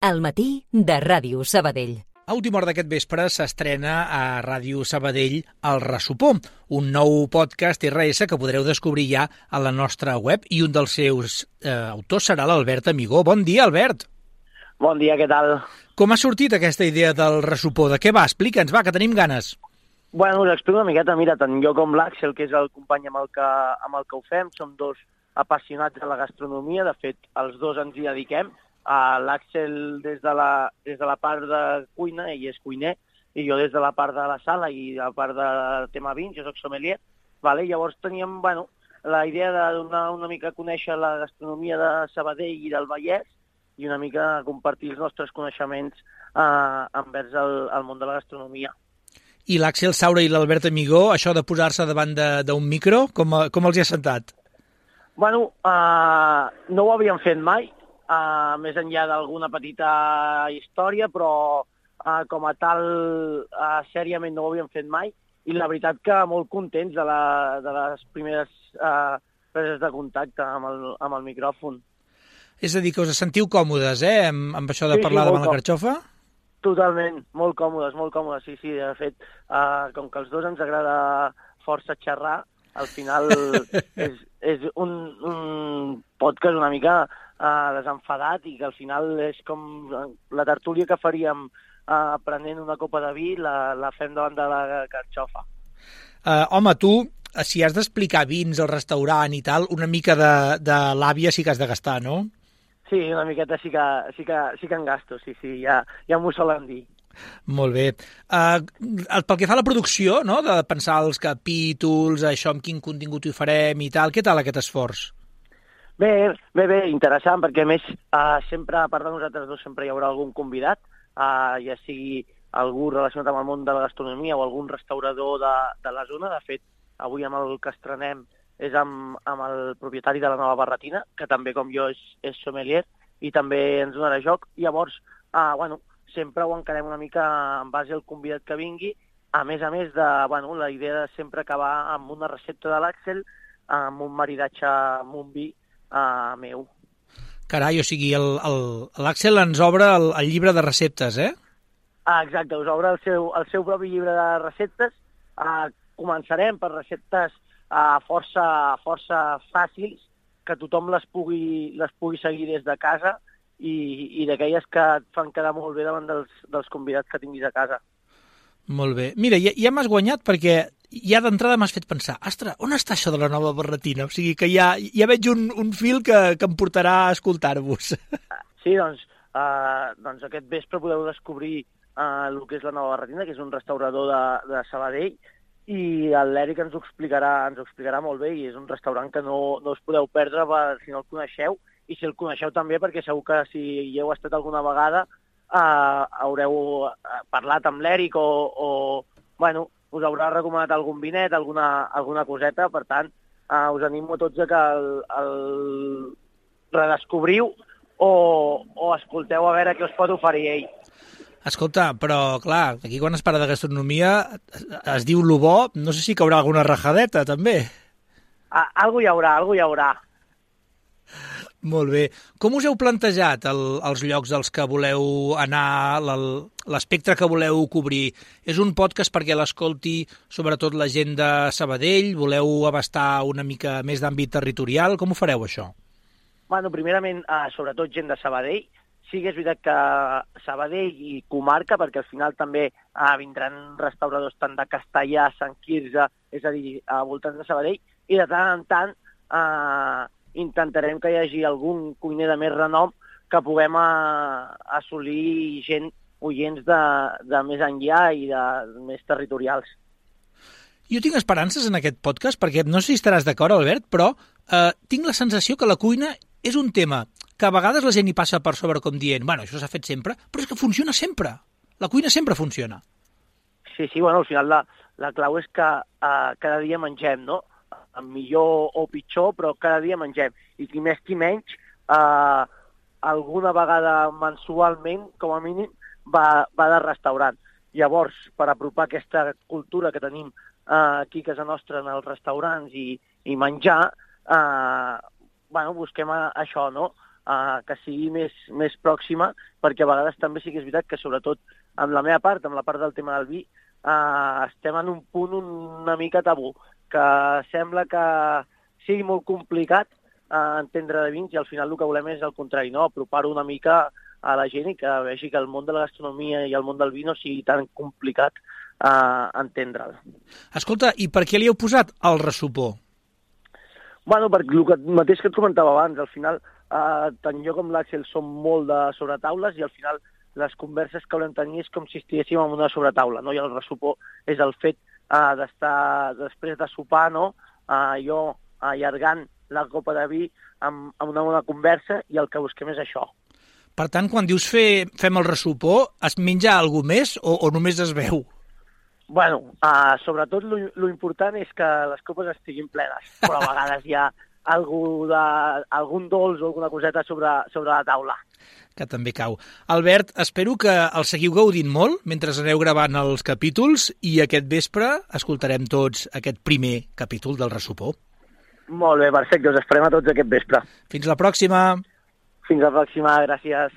Al matí de Ràdio Sabadell. A última hora d'aquest vespre s'estrena a Ràdio Sabadell El Ressopó, un nou podcast RS que podreu descobrir ja a la nostra web, i un dels seus autors serà l'Albert Amigó. Bon dia, Albert! Bon dia, què tal? Com ha sortit aquesta idea del Ressopó? De què va? Explica'ns, va, que tenim ganes. Bueno, us explico una miqueta. Mira, tant jo com l'Àxel, que és el company amb el que ho fem, som dos apassionats de la gastronomia. De fet, els dos ens hi dediquem. L'Àxel des de la part de cuina, ell és cuiner, i jo des de la part de la sala i la part de tema vins, jo soc sommelier. Vale? Llavors teníem la idea de donar una mica a conèixer la gastronomia de Sabadell i del Vallès i una mica compartir els nostres coneixements envers el món de la gastronomia. I l'Àxel Saura i l'Albert Amigó, això de posar-se davant d'un micro, com els hi ha sentat? Bueno, no ho havíem fet mai, més enllà d'alguna petita història, però com a tal, sèriament no ho havíem fet mai, i la veritat que molt contents de les primeres preses de contacte amb el micròfon. És a dir, que us sentiu còmodes, amb això de parlar davant la carxofa? Totalment, molt còmodes, sí. De fet, com que els dos ens agrada força xerrar, al final és un podcast una mica desenfadat i que al final és com la tertúlia que faríem prenent una copa de vi, la fem davant de la carxofa. Home, tu, si has d'explicar vins al restaurant i tal, una mica de l'àvia sí que has de gastar, no? Sí, una miqueta sí que en gasto, sí, ja m'ho solen dir. Molt bé. Pel que fa a la producció, no?, de pensar els capítols, això, amb quin contingut hi farem i tal, què tal aquest esforç? Bé, interessant, perquè a més sempre, a part de nosaltres dos, sempre hi haurà algun convidat, ja sigui algú relacionat amb el món de la gastronomia o algun restaurador de la zona. De fet, avui amb el que estrenem és amb el propietari de la Nova Barretina, que també, com jo, és sommelier, i també ens donarà joc. Llavors, sempre ho encarem una mica en base al convidat que vingui, a més de, la idea de sempre acabar amb una recepta de l'Àxel, amb un maridatge amb un vi meu. Carai, o sigui, l'Àxel ens obre el llibre de receptes, eh? Exacte, us obre el seu propi llibre de receptes. Començarem per receptes força fàcils, que tothom les pugui seguir des de casa i d'aquelles que et fan quedar molt bé davant dels convidats que tinguis a casa. Molt bé. Mira, ja m'has guanyat perquè ja d'entrada m'has fet pensar, ostres, on està això de la Nova Barretina? O sigui que ja veig un fil que em portarà a escoltar-vos. Sí, doncs aquest vespre podeu descobrir el que és la Nova Barretina, que és un restaurador de Sabadell, i l'Eric ens ho explicarà molt bé, i és un restaurant que no us podeu perdre si no el coneixeu, i si el coneixeu també, perquè segur que si hi heu estat alguna vegada haureu parlat amb l'Eric o us haurà recomanat algun vinet, alguna coseta. Per tant, us animo a tots que el redescobriu o escolteu a veure què us pot oferir ell. Escolta, però clar, aquí quan es parla de gastronomia es diu lo bo, no sé si caurà alguna rajadeta, també. Algú hi haurà. Molt bé. Com us heu plantejat els llocs als que voleu anar, l'espectre que voleu cobrir? És un podcast perquè l'escolti sobretot la gent de Sabadell? Voleu abastar una mica més d'àmbit territorial? Com ho fareu, això? Bueno, primerament, sobretot gent de Sabadell. Sí que és veritat que Sabadell i comarca, perquè al final també vindran restauradors tant de Castellà, Sant Quirze, és a dir, a voltants de Sabadell, i de tant en tant intentarem que hi hagi algun cuiner de més renom que puguem assolir gent, oients de més enllà i de més territorials. Jo tinc esperances en aquest podcast, perquè no sé si estaràs d'acord, Albert, però tinc la sensació que la cuina és un tema que a vegades la gent hi passa per sobre com dient, això s'ha fet sempre, però és que funciona sempre. La cuina sempre funciona. Sí, al final la clau és que cada dia mengem, no? Millor o pitjor, però cada dia mengem. I qui més qui menys, alguna vegada mensualment, com a mínim, va de restaurant. Llavors, per apropar aquesta cultura que tenim aquí a casa nostra en els restaurants i menjar, busquem això, no? que sigui més pròxima, perquè a vegades també sí que és veritat que sobretot amb la meva part, amb la part del tema del vi, estem en un punt una mica tabú, que sembla que sigui molt complicat entendre de vins i al final el que volem és el contrari, no? Apropar-ho una mica a la gent i que vegi que el món de la gastronomia i el món del vi no sigui tan complicat entendre'l. Escolta, i per què li heu posat el ressupó? Bueno, per el mateix que et comentava abans, al final tant jo com l'Àxel som molt de sobretaules i al final les converses que volem tenir és com si estiguéssim en una sobretaula, no? I el ressupó és el fet d'estar després de sopar, no? Jo allargant la copa de vi amb una bona conversa i el que busquem és això. Per tant, quan dius fem el ressupó, es menja alguna més o només es veu? Bueno, sobretot lo important és que les copes estiguin plenes, però a vegades hi ha algun dolç o alguna coseta sobre la taula. Que també cau. Albert, espero que el seguiu gaudint molt mentre aneu gravant els capítols i aquest vespre escoltarem tots aquest primer capítol del ressupó. Molt bé, perfecte, us esperem a tots aquest vespre. Fins la pròxima! Fins la pròxima, gràcies.